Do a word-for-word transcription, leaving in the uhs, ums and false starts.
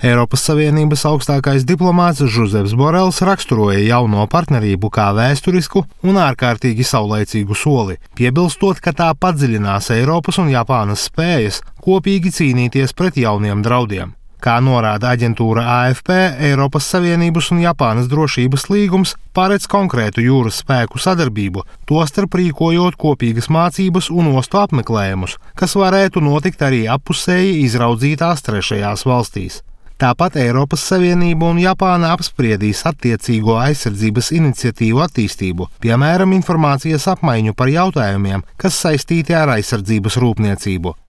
Eiropas Savienības augstākais diplomāts Žozefs Borels raksturoja jauno partnerību kā vēsturisku un ārkārtīgi saulaicīgu soli, piebilstot, ka tā padziļinās Eiropas un Japānas spējas kopīgi cīnīties pret jauniem draudiem. Kā norāda aģentūra A F P, Eiropas Savienības un Japānas drošības līgums paredz konkrētu jūras spēku sadarbību, tostarp rīkojot kopīgas mācības un ostu apmeklējumus, kas varētu notikt arī appusēji izraudzītās trešajās valstīs. Tāpat Eiropas Savienība un Japāna apspriedīs attiecīgo aizsardzības iniciatīvu attīstību, piemēram, informācijas apmaiņu par jautājumiem, kas saistīti ar aizsardzības rūpniecību.